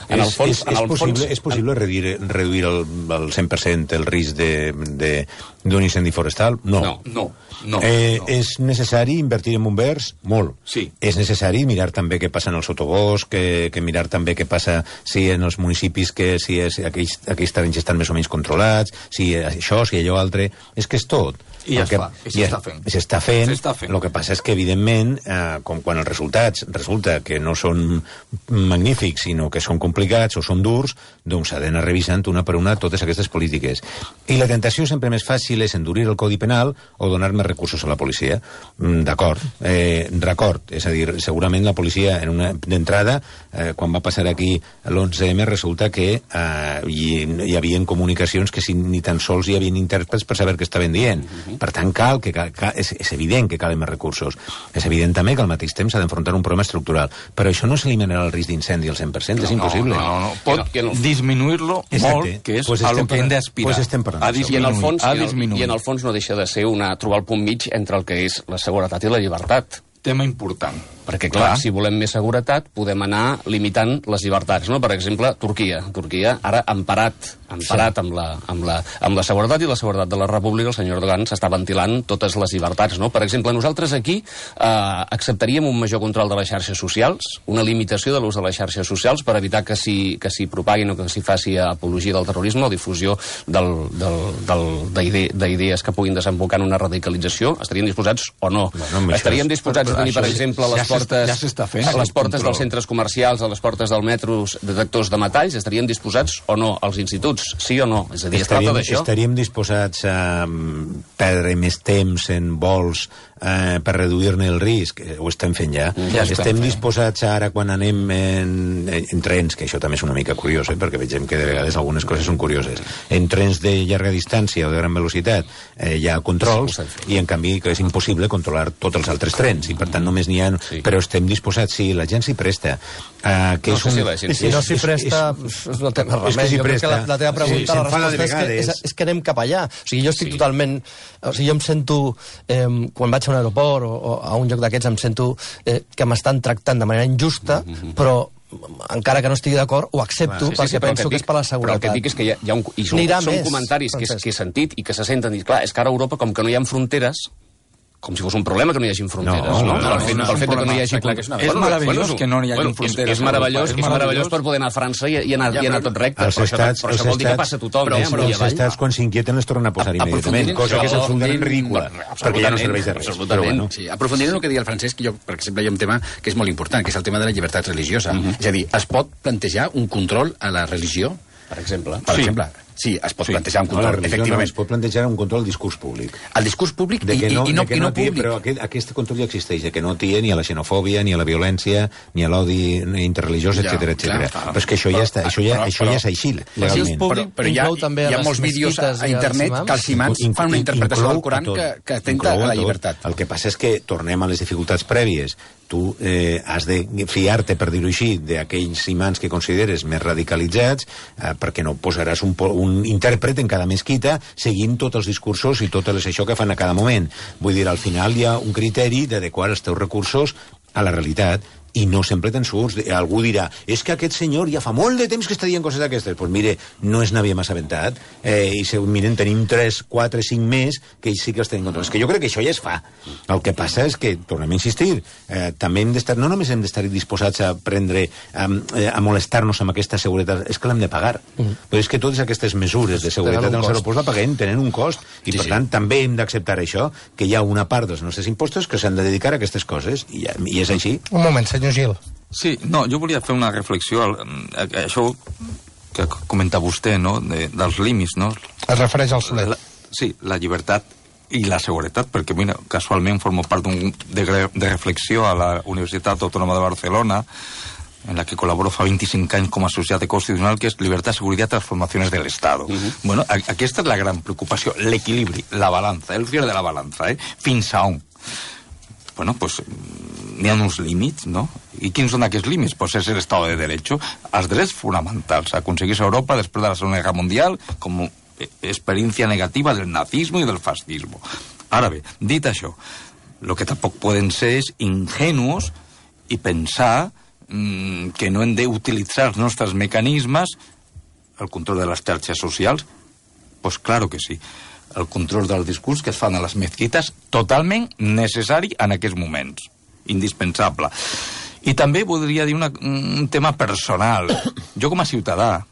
En el fons, és, és, en el possible, fons... és possible reduir, reduir el, el cent per cent el risc d'un incendi forestal? No. No, no. no, eh, no. És necessari invertir en bombers? Molt. Sí. És necessari mirar també què passa en el sotobosc, que, que mirar també què passa si en els municipis, que si és, aquells, aquells terrenys estan més o menys controlats, si això, si allò altre... És que és tot. I ja es fa, i s'està fent. S'està fent. fent. El que passa és que, evidentment, eh, com quan els resultats resulta que no són magnífics, sinó que són complicats o són durs, doncs s'ha d'anar revisant una per una totes aquestes polítiques. I la tentació sempre més fàcil és endurir el Codi Penal o donar més recursos a la policia. Mm, d'acord. Eh, record. És a dir, segurament la policia, en una d'entrada, eh, quan va passar aquí l'onze eme, resulta que eh, hi, hi havia comunicacions que si, ni tan sols hi havia intèrprets per saber què estaven dient. Per tant, cal que, cal, és, és evident que calen més recursos. És evident també que al mateix temps s'ha d'enfrontar un problema estructural. Però això no s'eliminarà el risc d'incendi al cent per cent, no, és impossible. No, no, no. Pot no, no. disminuir-lo molt, que és pues a lo que hem d'aspirar. Pues estem parlant. A disminuir, I, en el fons, a disminuir. I en el fons no deixa de ser una, trobar el punt mig entre el que és la seguretat i la llibertat. Tema important. Perquè, clar, clar, si volem més seguretat, podem anar limitant les llibertats, no? Per exemple, Turquia. Turquia ara emparat, emparat sí. amb, la, amb, la, amb la seguretat i la seguretat de la República, el senyor Erdogan s'està ventilant totes les llibertats, no? Per exemple, nosaltres aquí eh, acceptaríem un major control de les xarxes socials, una limitació de l'ús de les xarxes socials per evitar que s'hi que s'hi propaguin o que s'hi faci apologia del terrorisme o difusió del, del, del, d'idees que puguin desembocar en una radicalització. Estaríem disposats o no? Bueno, Estaríem disposats a tenir, per exemple, les portes, ja s'està fent, a les portes dels centres comercials, a les portes del metro, detectors de metalls, estaríem disposats o no als instituts? Sí o no? És a dir, es tracta d'això? Estaríem disposats a perdre més temps en vols eh, per reduir-ne el risc, eh, ho estem fent ja. ja estem fent. disposats ara, quan anem en, en, en trens, que això també és una mica curiós, eh, perquè vegem que de vegades algunes coses són curioses, en trens de llarga distància o de gran velocitat eh, hi ha controls, i en canvi que és impossible controlar tots els altres trens, i per tant només n'hi ha... Sí. Però estem disposats, sí, la gent s'hi presta. Uh, que no és un... sé si, I si no s'hi presta, és, és, no té més remei. Si jo crec que la, la teva pregunta, sí, la resposta és que, és, és que anem cap allà. O sigui, jo estic sí. totalment... O sigui, jo em sento, eh, quan vaig a un aeroport o, o a un lloc d'aquests, em sento eh, que m'estan tractant de manera injusta, mm-hmm. però encara que no estigui d'acord, ho accepto, clar, sí, sí, perquè sí, penso que, que és per la seguretat. Però el que et dic és que hi ha, hi ha un... I són, són més, comentaris que, que he sentit i que se senten... I clar, és que ara a Europa, com que no hi ha fronteres, com si fos un problema que no hi hagi fronteres, no? no? no, no, no el fet, no, el fet que no hi hagi... Clar, que és, una... és meravellós bueno, que no hi hagi bueno, fronteres. És, és, meravellós, és, és meravellós per poder anar a França i, i, anar, ja, i anar tot recte. Els estats, però això vol dir que passa tothom. Però, eh, però els estats, quan s'inquieten, les tornen a posar immediatament, cosa que és absolutament ridícula, perquè ja no serveix de res. Bueno. Sí, aprofundirem en el que deia el Francesc, jo, per exemple, hi ha un tema que és molt important, que és el tema de la llibertat religiosa. És a dir, es pot plantejar un control a la religió, per exemple? Per exemple, sí, es pot sí. plantejar un control, no, efectivament. No, es pot plantejar un control al discurs públic. Al discurs públic de que no, i, i, no, que i no, no tia, públic. Però aquest, aquest control ja existeix, de que no tia ni a la xenofòbia, ni a la violència, ni a l'odi interreligiós, ja, etcètera, etcètera. Però és que això ja, està, això ja, però, això ja és així, legalment. Però, però hi ha, hi ha molts vídeos a, a internet que els imams fan una interpretació del Coran que, que atenta a la llibertat. El que passa és que tornem a les dificultats prèvies. Tu eh, has de fiar-te, per dir-ho així, d'aquells imams que consideres més radicalitzats, eh, perquè no posaràs un, un intèrpret en cada mesquita seguint tots els discursos i totes les això que fan a cada moment. Vull dir, al final hi ha un criteri d'adequar els teus recursos a la realitat, i no sempre te'n surts. Algú dirà, és que aquest senyor ja fa molt de temps que està dient coses d'aquestes. Doncs pues mire, no és n'havia massa aventat, eh, i se, miren, tenim tres, quatre, cinc més que ells sí que els tenen control. És que jo crec que això ja es fa. El que passa és que, tornem a insistir, eh, també hem d'estar, no només hem d'estar disposats a prendre, a, a molestar-nos amb aquesta seguretat, és que l'hem de pagar. Mm. Però és que totes aquestes mesures de seguretat en els aeroports la paguem, tenen un cost, i sí, per sí. tant també hem d'acceptar això, que hi ha una part dels nostres impostos que s'han de dedicar a aquestes coses, i, i és així. Un moment, senyor Gil. Sí, no, jo volia fer una reflexió al, a, a això que comenta vostè, no?, de, dels límits, no? Es refereix al Soler. La, sí, la llibertat i la seguretat, perquè mira, casualment formo part d'un de, de reflexió a la Universitat Autònoma de Barcelona, en la que colaboro fa vint-i-cinc anys com a associat constitucional, que és Libertad, Seguridad, Transformaciones del Estado. Uh -huh. Bueno, a, aquesta és la gran preocupació, l'equilibri, la balança, el fil de la balança, eh? Fins a on? Bueno, pues n'hi ha uns límits, no? I quins són aquests límits? Pues és l'Estado de Derecho, els drets fonamentals, aconseguir a Europa després de la Segona Guerra Mundial com experiència negativa del nazismo i del fascismo. Ara bé, dit això, el que tampoc poden ser és ingenuos i pensar mmm, que no hem d'utilitzar els nostres mecanismes, el control de les xarxes socials, pues claro que sí. El control del discurs que es fan a les mesquites, totalment necessari en aquests moments, indispensable. I també voldria dir una, un tema personal. Jo com a ciutadà,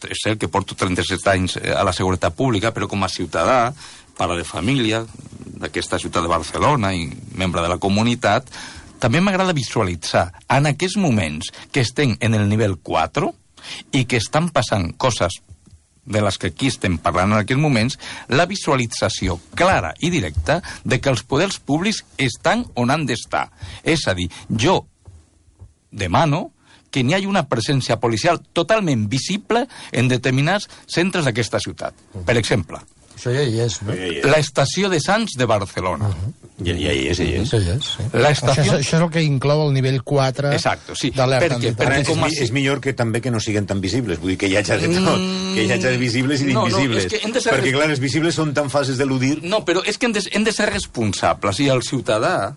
és cert que porto trenta-set anys a la seguretat pública, però com a ciutadà, pare de família d'aquesta ciutat de Barcelona i membre de la comunitat, també m'agrada visualitzar en aquests moments que estem en el nivell quatre i que estan passant coses de les que aquí estem parlant en aquests moments, la visualització clara i directa de que els poders públics estan on han d'estar. És a dir, jo demano que n'hi hagi una presència policial totalment visible en determinats centres d'aquesta ciutat. Per exemple, això ja hi és, no? L'estació de Sants de Barcelona. Uh-huh. Ja, ja hi és, ja hi és. Ja hi és, sí. Estació... Això, això és el que inclou el nivell quatre Exacto, sí. d'alerta. Perquè, perquè com a... és, és millor que també que no siguen tan visibles. Vull dir que hi hagi de tot. Mm... Que hi hagi de visibles i d'invisibles. No, no, ser... Perquè, clar, els visibles són tan fàcils d'eludir. No, però és que hem de, hem de ser responsables. I el ciutadà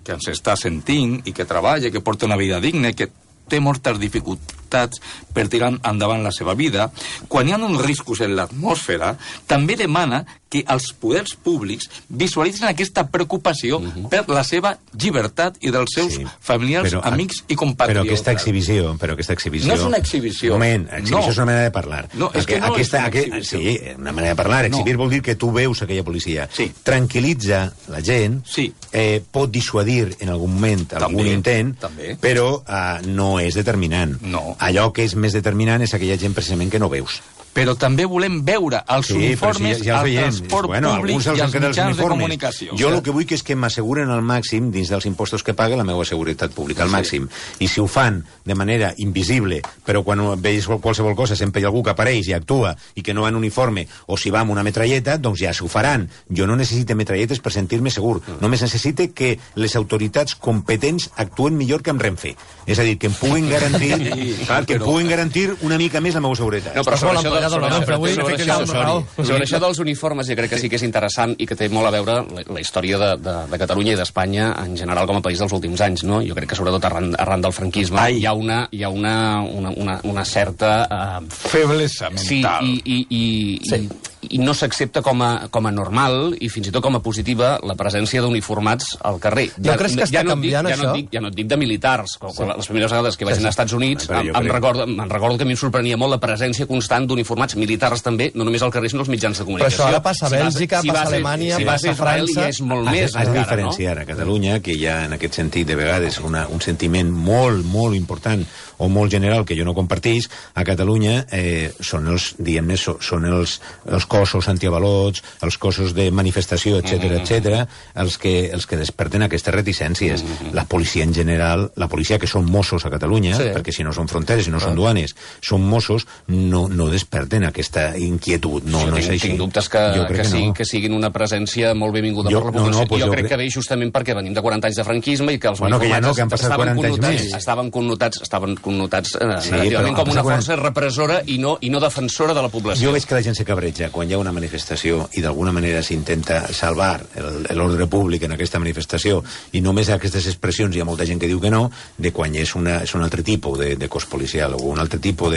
que ens està sentint i que treballa, que porta una vida digna, que té moltes dificultats per tirar endavant la seva vida, quan hi ha uns riscos en l'atmosfera, també demana que els poders públics visualitzen aquesta preocupació uh-huh. per la seva llibertat i dels seus sí, familiars, però, amics i compatriotes. Però aquesta exhibició, però aquesta exhibició... No és una exhibició. Un moment, exhibició no. és una manera de parlar. No, és que no aquesta, és una exhibició. Sí, una manera de parlar. Exhibir no. vol dir que tu veus aquella policia. Sí. Tranquil·litza la gent, sí. eh, pot dissuadir en algun moment també, algun intent, també. però uh, no és determinant. No. Allò que és més determinant és aquella gent precisament que no veus. però també volem veure els Sí, uniformes però si ja, ja al els veiem. transport Bueno, públic alguns els i han als quedat els mitjans de uniformes. comunicació. Jo el que vull que és que m'asseguren al màxim, dins dels impostos que pague, la meva seguretat pública, al màxim. I si ho fan de manera invisible, però quan veus qualsevol cosa sempre hi ha algú que apareix i actua i que no va en uniforme, o si va amb una metralleta, doncs ja s'ho faran. Jo no necessito metralletes per sentir-me segur. Només necessite que les autoritats competents actuen millor que amb Renfe. És a dir, que em puguin garantir, clar, que em puguin garantir una mica més la meva seguretat. No, però sobre això, de, l'empleat del sobre, Renfe avui, sobre, que això, tenia raó. sobre això dels uniformes, jo crec que sí que és interessant i que té molt a veure la, la història de, de, de Catalunya i d'Espanya en general com a país dels últims anys, no? Jo crec que sobretot arran, arran del franquisme Ai. hi ha una, hi ha una, una, una, una certa... Uh, Feblesa sí, mental. i, i, i, Sí. i, i no s'accepta com, a, com a normal i fins i tot com a positiva la presència d'uniformats al carrer. Jo crec que està ja no et dic, canviant ja no això. et dic, ja no et dic de militars, com, sí. Les primeres vegades que vaig Sí, sí. anar als Estats Units Però em, jo em, crec- recordo, em recordo que a mi em sorprenia molt la presència constant d'uniformats militars també, no només al carrer sinó als mitjans de Però comunicació. això ara passa a vas- Bèlgica, vas passa a a- Alemanya, si vas passa a a Israel França. ja és molt Has, més has de encara, no? diferenciar a Catalunya, que hi ha en aquest sentit de vegades una, un sentiment molt, molt important o molt general que jo no compartís. A Catalunya eh, són els, diguem-ne, so- són els, els cossos antiavalots, els cossos de manifestació, etc Mm-hmm. etc, els que, els que desperten aquestes reticències. Mm-hmm. La policia en general, la policia que són Mossos a Catalunya, Sí. perquè si no són fronteres, si no són duanes, són Mossos, no, no desperten aquesta inquietud. No, jo no tinc, és així. tinc dubtes que, Jo crec que, que siguin, no. que siguin una presència molt benvinguda Jo- per la no, no, població. pues jo jo crec crec- que ve justament perquè venim de quaranta anys de franquisme i que els Bueno, que ja no, uniformats que han passat estaven quaranta anys connotats, més. estaven connotats, estaven connotats eh, Sí, negativament però com han una passat força repressora i no, i no defensora de la població. Jo veig que la gent se cabreja quan hi ha una manifestació i d'alguna manera s'intenta salvar el- l'ordre públic en aquesta manifestació i només a aquestes expressions hi ha molta gent que diu que no, de quan és, una, és un altre tipus de, de cos policial o un altre tipus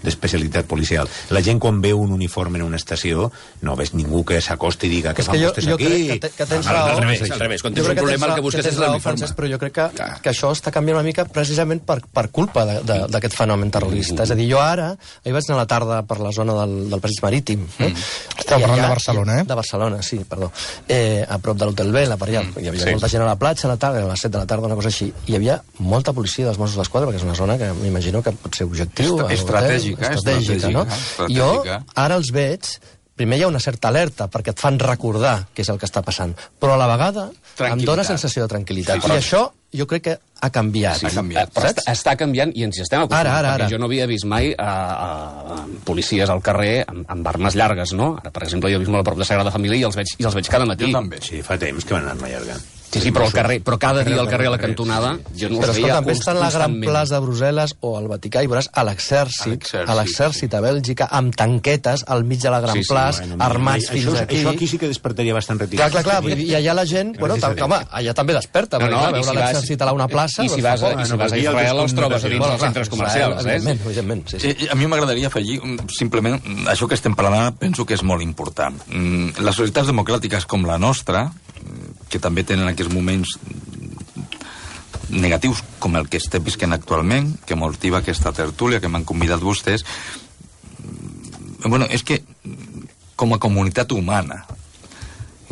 d'especialitat de, de, policial. La gent quan veu un uniforme en una estació no veus ningú que s'acosti i diga que És fan que jo, vostès jo aquí. crec que, te, que tens Al- raó. al revés, al revés. Quan Jo tens crec un problema, tens el que raó- busques tens és raó, l'uniforme. Francesc, però jo crec que, Clar. que això està canviant una mica precisament per, per culpa de- de- d'aquest fenomen terrorista. És a dir, jo ara, ahir vaig anar a la tarda per la zona del, del Passeig Marítim. Eh? Estem I parlant allà- de Barcelona, eh? De Barcelona, sí, perdó. Eh, a prop de l'Hotel Vela, per allà. Hi havia sí. molta gent a la platja a la tarda, a les set de la tarda, una cosa així. I hi havia molta policia dels Mossos d'Esquadra, perquè és una zona que m'imagino que pot ser objectiu. Estra- a l'hotel, estratègica, estratègica, no? estratègica, I jo estratègica. ara els veig, primer hi ha una certa alerta perquè et fan recordar què és el que està passant, però a la vegada em Tranquil·litat. dóna sensació de tranquil·litat. Sí, I però- això jo crec que ha canviat. Sí, ha canviat. Eh, Però Saps? està, està canviant i ens hi estem acostumant. Ara, ara, ara. Perquè jo no havia vist mai a, a, a policies al carrer amb, amb armes llargues, no? Ara, per exemple, jo he vist molt a prop de Sagrada Família i els veig, i els veig cada matí. Jo també. Sí, fa temps que van anar allargant. Sí, sí, però al carrer, però cada dia al carrer a la carrer, cantonada jo no Però els veia escolta, també està en la gran constantment. plaça de Brussel·les o al Vaticà i veuràs a l'exèrcit, l'exèrcit, a l'exèrcit a Bèlgica, amb tanquetes al mig de la gran Sí, sí, plaça, Bueno, mira, armats això, fins aquí. Això aquí sí que despertaria bastant reticència. Clar, clar, clar, vull dir, i allà la gent, bueno, Gràcies a tal, Déu. home, allà també desperta, No, perquè no, clar, i veure si vas- l'exèrcit a una plaça... I si doncs, vas, fa a, por. i si vas a aquí el Israel els trobes a dins Bueno, dels clar, centres Israel, comercials, eh? Evidentment, evidentment, sí, sí. Eh, A mi m'agradaria afegir, mm, simplement, mm, això que estem parlant ara penso que és molt important. Mm, Les societats democràtiques com la nostra, mm, que també tenen aquests moments negatius com el que estem visquent actualment, que motiva aquesta tertúlia, que m'han convidat vostès, mm, bueno, és que mm, com a comunitat humana,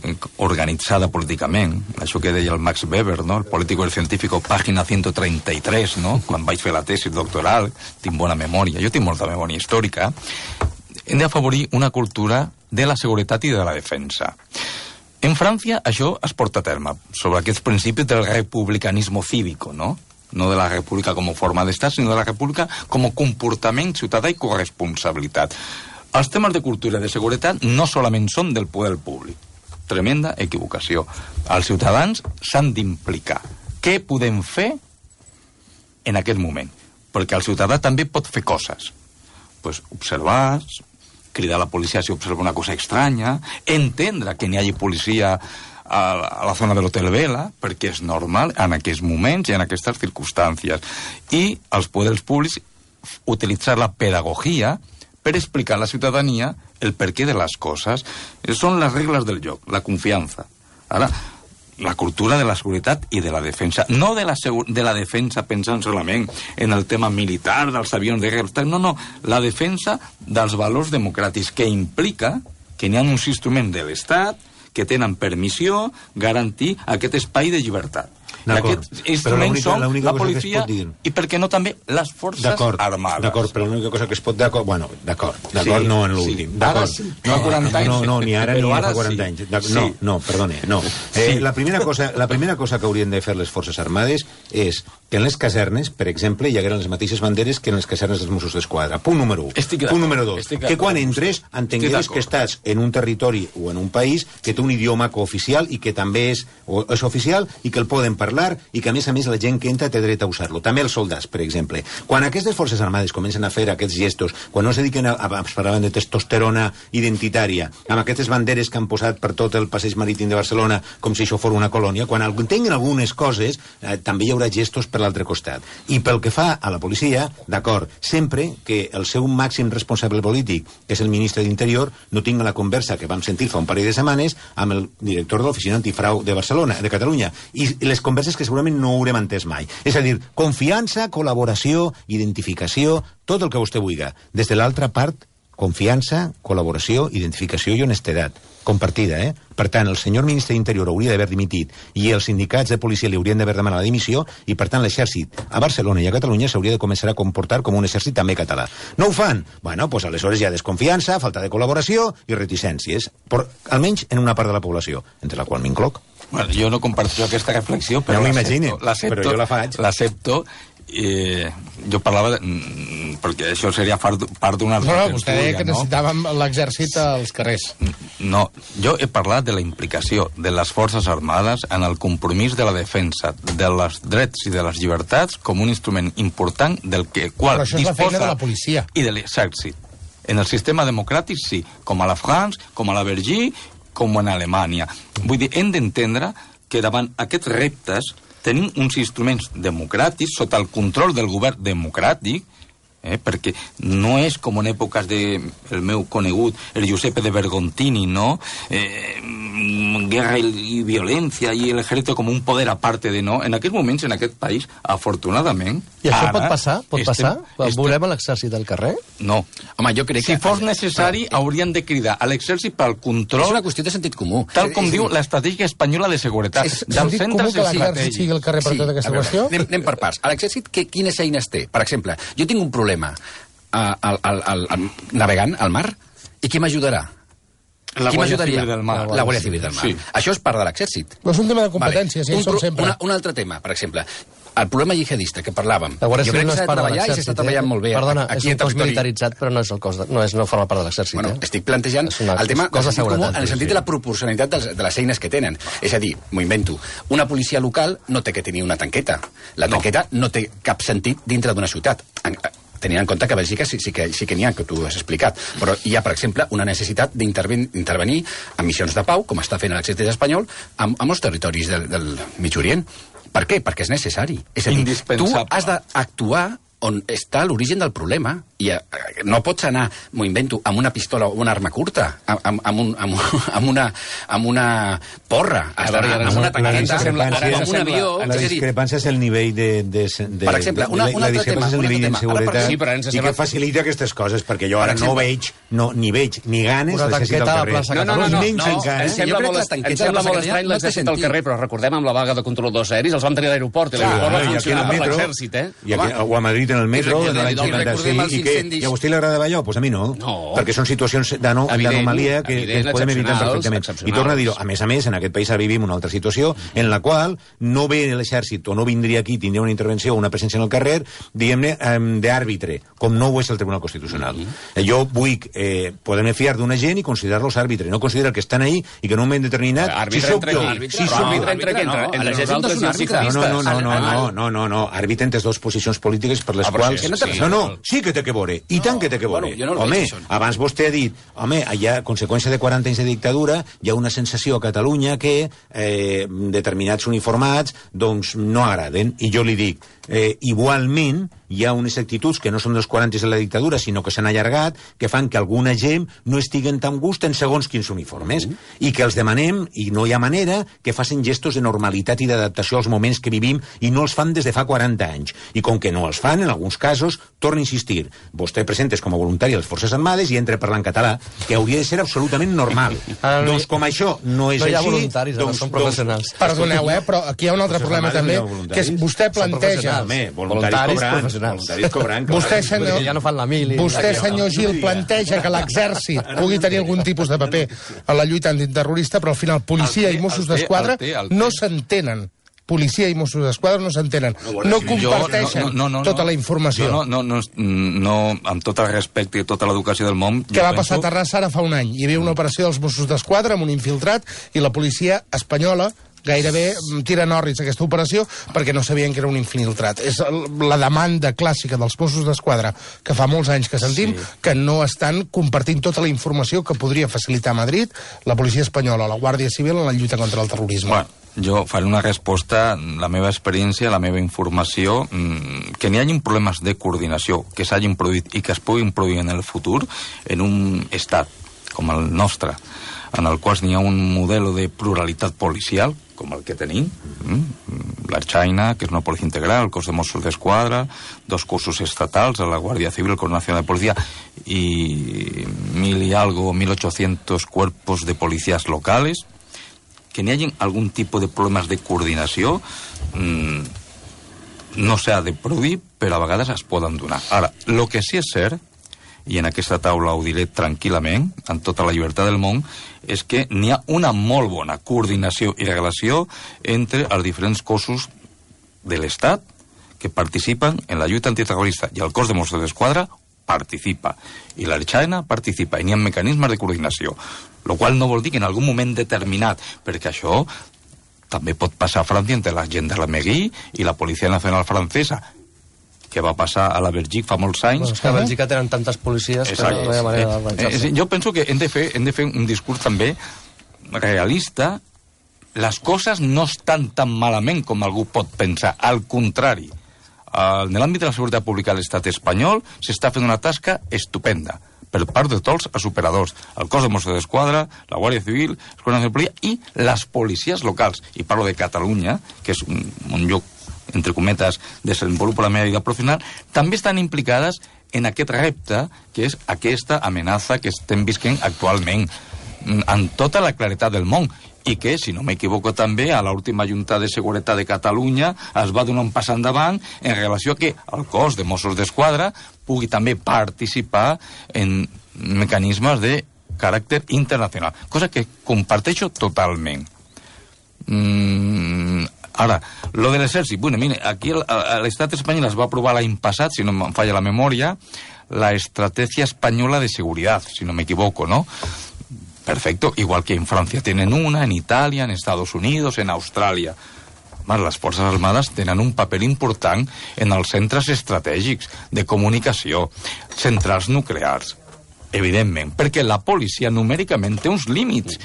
eh, organitzada políticament, això que deia el Max Weber, no? El político y el científico, pàgina ciento treinta y tres, no? Quan vaig fer la tesi doctoral, tinc bona memòria, jo tinc molta memòria històrica, hem d'afavorir una cultura de la seguretat i de la defensa. En França això es porta a terme, sobre aquests principis del republicanismo cívico, no? No de la república com a forma d'estat, sinó de la república com a comportament ciutadà i corresponsabilitat. Els temes de cultura i de seguretat no solament són del poder públic. Tremenda equivocació. Els ciutadans s'han d'implicar. Què podem fer en aquest moment? Perquè el ciutadà també pot fer coses. Pues observar, cridar a la policia si observa una cosa estranya, entendre que n'hi hagi policia a la, a la zona de l'Hotel Vela, perquè és normal en aquests moments i en aquestes circumstàncies. I els poders públics utilitzar la pedagogia per explicar a la ciutadania el perquè de les coses. Són les regles del joc, la confiança. Ara, la cultura de la seguretat i de la defensa. No de la, de la defensa pensant solament en el tema militar, dels avions de guerra, no, no, la defensa dels valors democràtics, que implica que n'hi ha uns instruments de l'Estat que tenen permissió garantir aquest espai de llibertat. Aquests instruments són la policia i, per què no, també les forces armades. D'acord, però l'única cosa que es pot... D'acord, bueno, d'acord, d'acord, no en l'últim. D'acord. No a quaranta anys. No, no, ni ara ni fa quaranta anys. No, no, perdone, no. La primera cosa la primera cosa que haurien de fer les forces armades és que en les casernes, per exemple, hi hagueren les mateixes banderes que en les casernes dels Mossos d'Esquadra. Punt número un. Punt número dos. Que quan entres entengueres que estàs en un territori o en un país que té un idioma cooficial i que també és, és oficial i que el poden parlar i que, a més a més, la gent que entra té dret a usar-lo. També els soldats, per exemple. Quan aquestes forces armades comencen a fer aquests gestos, quan no es dediquen a, a, a parlar de testosterona identitària, amb aquestes banderes que han posat per tot el passeig marítim de Barcelona com si això fos una colònia, quan entenguin algunes coses, eh, també hi haurà gestos per l'altre costat. I pel que fa a la policia, d'acord, sempre que el seu màxim responsable polític, que és el ministre d'Interior, no tinga la conversa que vam sentir fa un parell de setmanes amb el director de l'Oficina Antifrau de Barcelona, de Catalunya, i les converses que segurament no haurem entès mai. És a dir, confiança, col·laboració, identificació, tot el que vostè vulgui. Des de l'altra part, confiança, col·laboració, identificació i honestedat. Compartida, eh? Per tant, el senyor ministre d'Interior hauria d'haver dimitit i els sindicats de policia li haurien d'haver demanat la dimissió i, per tant, l'exèrcit a Barcelona i a Catalunya s'hauria de començar a comportar com un exèrcit també català. No ho fan? Bueno, doncs aleshores hi ha desconfiança, falta de col·laboració i reticències, però almenys en una part de la població, entre la qual m'incloc. Bueno, jo no comparteixo aquesta reflexió, però no m'imagino, però jo la faig. L'accepto. Eh, jo parlava de, perquè això seria part d'una altra no, no, vostè deia que no? necessitàvem l'exèrcit als carrers. No, jo he parlat de la implicació de les forces armades en el compromís de la defensa dels drets i de les llibertats com un instrument important del que qual però això és la feina de la policia i de l'exèrcit. En el sistema democràtic sí, com a la France, com a la Belgique, com en Alemanya. Vull dir, hem d'entendre que davant aquests reptes tenim uns instruments democràtics sota el control del govern democràtic, eh, perquè no és com en èpoques del de meu conegut, el Giuseppe de Bergontini, no? Eh, guerra i violència i l'ejército com un poder aparte de no. En aquests moments, en aquest país, afortunadament... I això pot passar? Pot estem, passar? Estem... Veurem l'exèrcit al carrer? No. Home, jo crec si que... fos necessari, però... haurien de cridar a l'exèrcit pel control... És una qüestió de sentit comú. Tal com és... diu l'estratègia espanyola de seguretat. És sentit comú que l'exèrcit sigui al carrer per sí, tota aquesta veure, qüestió? Anem, anem per parts. A l'exèrcit, quines eines té? Per exemple, jo tinc un problema al, al, al, al, navegant al mar, i qui m'ajudarà? La Guàrdia Civil del Mar. La Guàrdia Civil del Mar. Sí. Això és part de l'exèrcit. No és un tema de competències, vale. un, sempre. Una, un altre tema, per exemple, el problema jihadista que parlàvem. La Guàrdia Civil no és part de l'exèrcit. I s'està treballant molt bé. Perdona, aquí és un cos militaritzat, però no és el cos de, no, és, no forma part de l'exèrcit. Bueno, eh? estic plantejant el tema cosa de seguretat, en el sentit sí. de la proporcionalitat de les, de les eines que tenen. És a dir, m'ho invento, una policia local no té que tenir una tanqueta. La tanqueta no, no té cap sentit dintre d'una ciutat. Tenint en compte que a Bèlgica sí, sí que sí que n'hi ha, que tu has explicat. Però hi ha, per exemple, una necessitat d'intervenir en missions de pau, com està fent l'exèrcit espanyol, amb, amb els territoris del, del Mig Orient. Per què? Perquè és necessari. És a dir, tu has d'actuar on està l'origen del problema. I eh, no pots anar, m'ho invento, amb una pistola o una arma curta, amb, amb, un, amb, amb, una, amb una porra, has d'anar amb una tanqueta, amb un avió... La discrepància és el nivell de... de, de per exemple, una, un la altre tema. és el nivell d'inseguretat sí, i que facilita aquestes coses, perquè jo ara no veig, no, ni veig, ni ganes l'exèrcit al carrer. No, no, no, no, em sembla molt estrany l'exèrcit al carrer, però recordem amb la vaga de controladors aeris, els vam tenir a l'aeroport, i l'aeroport va funcionar per l'exèrcit, eh? O a Madrid en el metro, de l'any cinquanta-cinc, i que a vostè li agradava allò? Doncs a mi no, perquè són situacions d'anomalia que podem evitar perfectament. I torno a dir-ho, a més a més, en aquest país ara vivim una altra situació en la qual no ve l'exèrcit o no vindria aquí, tindria una intervenció o una presència en el carrer, diguem-ne, d'àrbitre, com no ho és el Tribunal Constitucional. Jo vull poder-me fiar d'una gent i considerar-los àrbitre, no considerar que estan ahí i que en un moment determinat... Àrbitre entre qui? Àrbitre entre qui? Entre nosaltres i els ciclistes. No, no, no, no, no, no, no, àrbitre entre dues posicions polítiques per les quals... No, no, sí que té que veure, i tant que té que veure. Home, abans vostè ha dit, home, hi ha conseqüència de quaranta anys de dictadura, hi ha una sensació a Catalunya que determinats uniformats doncs no agraden, i jo li dic, igualment hi ha unes actituds que no són dels quaranta de la dictadura, sinó que s'han allargat, que fan que alguna gent no estiguen tan gust en segons quins uniformes, mm. i que els demanem, i no hi ha manera, que facin gestos de normalitat i d'adaptació als moments que vivim, i no els fan des de fa quaranta anys. I com que no els fan, en alguns casos, torno a insistir, vostè presentes com a voluntari a les Forces Armades i entra parlant català, que hauria de ser absolutament normal. Ah, no, doncs com això no és no hi ha així... voluntaris, doncs, són professionals. Doncs, perdoneu, eh, però aquí hi ha un altre problema també, que és vostè planteja... Home, voluntaris cobrant, voluntaris cobrant. Vostè, senyor, ja no fan la mili. Vostè, senyor Gil, planteja que l'exèrcit pugui tenir algun tipus de paper en la lluita antiterrorista, però al final policia i Mossos d'Esquadra no s'entenen. Policia i Mossos d'Esquadra no s'entenen. No comparteixen no, no, no, tota la informació. No, no, no, no, amb tot el respecte i tota l'educació del món... Què va passar a Terrassa ara fa un any? Hi havia una operació dels Mossos d'Esquadra amb un infiltrat i la policia espanyola gairebé tira norris aquesta operació perquè no sabien que era un infiltrat. És la demanda clàssica dels Mossos d'Esquadra que fa molts anys que sentim, sí. que no estan compartint tota la informació que podria facilitar a Madrid la policia espanyola, la Guàrdia Civil en la lluita contra el terrorisme. Bueno, jo faré una resposta, la meva experiència, la meva informació, que n'hi hagi problemes de coordinació que s'hagin produït i que es puguin produir en el futur en un estat com el nostre, en el qual n'hi ha un model de pluralitat policial, com el que tenim, la China, que és una policia integral, el cos de Mossos d'Esquadra, dos cossos estatals, la Guàrdia Civil, el Cos Nacional de Policía, i mil y algo, mil ochocientos cuerpos de policías locales, que n'hi hagi algun tipus de problemes de coordinació, mmm, no s'ha de produir, però a vegades es poden donar. Ara, el que sí és cert, i en aquesta taula ho diré tranquil·lament, amb tota la llibertat del món, és que n'hi ha una molt bona coordinació i relació entre els diferents cossos de l'Estat que participen en la lluita antiterrorista, i el cos de Mossos d'Esquadra participa, i l'Arxaina participa, i n'hi ha mecanismes de coordinació, el qual no vol dir que en algun moment determinat, perquè això també pot passar a França entre la gendarmerie i la Policia Nacional Francesa, que va passar a la Bèlgica fa molts anys. Bueno, és que a Bèlgica tenen tantes policies que no hi ha manera d'avançar-se. Eh, jo penso que hem de, fer, hem de fer un discurs també realista. Les coses no estan tan malament com algú pot pensar. Al contrari, en l'àmbit de la seguretat pública a l'estat espanyol s'està fent una tasca estupenda per part de tots els operadors, el cos de Mossos d'Esquadra, la Guàrdia Civil, el Cos Nacional de Policia i les policies locals. I parlo de Catalunya, que és un, un lloc entre cometes, desenvolupa la meva vida professional, també estan implicades en aquest repte, que és aquesta amenaça que estem visquent actualment, amb tota la claretat del món, i que, si no m'equivoco també, a l'última Junta de Seguretat de Catalunya es va donar un pas endavant en relació a que el cos de Mossos d'Esquadra pugui també participar en mecanismes de caràcter internacional, cosa que comparteixo totalment. Mm, ara, lo de l'exèrcit, bueno, mire, aquí l'estat espanyol es va aprovar l'any passat, si no em falla la memòria, la estratègia espanyola de seguretat, si no m'equivoco, ¿no? Perfecto, igual que en Francia tienen una, en Italia, en Estados Unidos, en Austràlia. Les Forces Armades tenen un paper important en els centres estratègics de comunicació, centrals nuclears, evidentment, perquè la policia numèricament té uns límits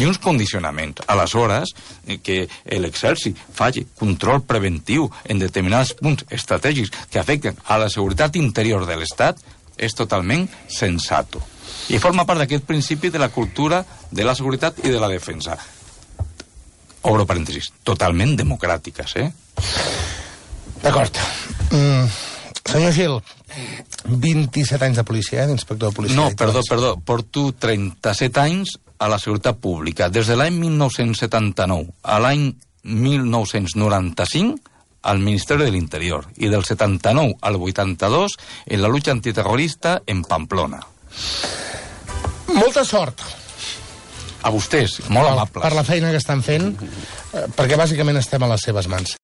i uns condicionaments. Aleshores, que l'exèrcit faci control preventiu en determinats punts estratègics que afecten a la seguretat interior de l'Estat és totalment sensato. I forma part d'aquest principi de la cultura de la seguretat i de la defensa. Obro parèntesis, totalment democràtiques, eh? D'acord. Mm, senyor Gil, vint-i-set anys de policia, eh, d'inspector de policia. No, perdó, perdó, porto trenta-set anys a la seguretat pública, des de l'any mil nou-cents setanta-nou a l'any mil nou-cents noranta-cinc al Ministeri de l'Interior, i del setanta-nou al vuitanta-dos en la lluita antiterrorista en Pamplona. Molta sort. A vostès, molt amables. Per la feina que estan fent, perquè bàsicament estem a les seves mans.